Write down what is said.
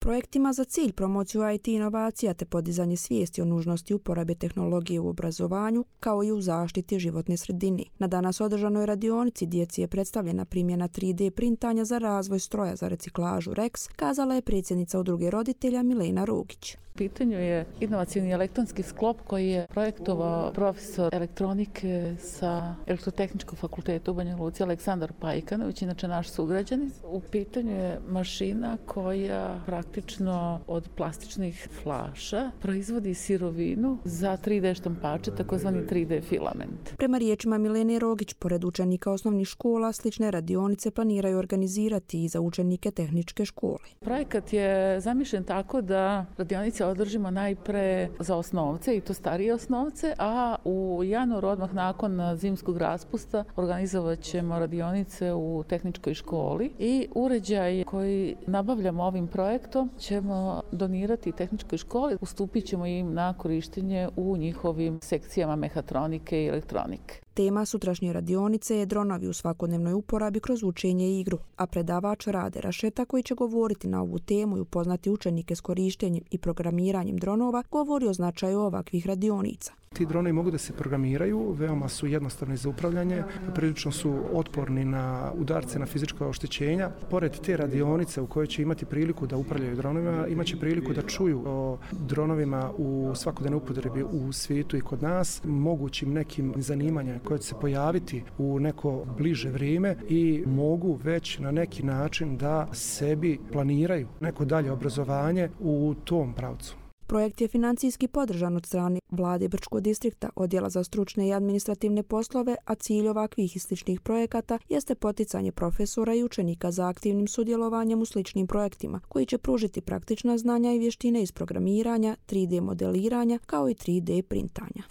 Projekt ima za cilj promociju IT inovacija te podizanje svijesti o nužnosti uporabe tehnologije u obrazovanju kao i u zaštiti životne sredine. Na danas održanoj radionici djeci je predstavljena primjena 3D printanja za razvoj stroja za reciklažu REX, kazala je predsjednica udruge roditelja Milena Rugić. U pitanju je inovacijni elektronski sklop koji je projektovao profesor elektronike sa Elektrotehničkog fakulteta u Banja Luci Aleksandar Pajkanović, inače naš sugrađanin. U pitanju je mašina koja praktično od plastičnih flaša proizvodi sirovinu za 3D štampače, takozvani 3D filament. Prema riječima Milene Rogić, pored učenika osnovnih škola, slične radionice planiraju organizirati i za učenike tehničke škole. Projekat je zamišljen tako da radionice održimo najpre za osnovce i to starije osnovce, a u januaru odmah nakon zimskog raspusta organizovat ćemo radionice u tehničkoj školi i uređaj koji nabavljamo ovim projektom ćemo donirati tehničkoj školi, ustupit ćemo im na korištenje u njihovim sekcijama mehatronike i elektronike. Tema sutrašnje radionice je dronovi u svakodnevnoj uporabi kroz učenje i igru, a predavač Rade Rašeta koji će govoriti na ovu temu i upoznati učenike s korištenjem i programiranjem dronova govori o značaju ovakvih radionica. Ti dronovi mogu da se programiraju, veoma su jednostavni za upravljanje, prilično su otporni na udarce, na fizička oštećenja. Pored te radionice u kojoj će imati priliku da upravljaju dronovima, imaće priliku da čuju o dronovima u svakodnevnoj upotrebi u svijetu i kod nas, mogućim nekim zanimanjima koje će se pojaviti u neko bliže vrijeme i mogu već na neki način da sebi planiraju neko dalje obrazovanje u tom pravcu. Projekt je financijski podržan od strane vlade Brčkog distrikta, odjela za stručne i administrativne poslove, a cilj ovakvih i sličnih projekata jeste poticanje profesora i učenika za aktivnim sudjelovanjem u sličnim projektima, koji će pružiti praktična znanja i vještine iz programiranja, 3D modeliranja kao i 3D printanja.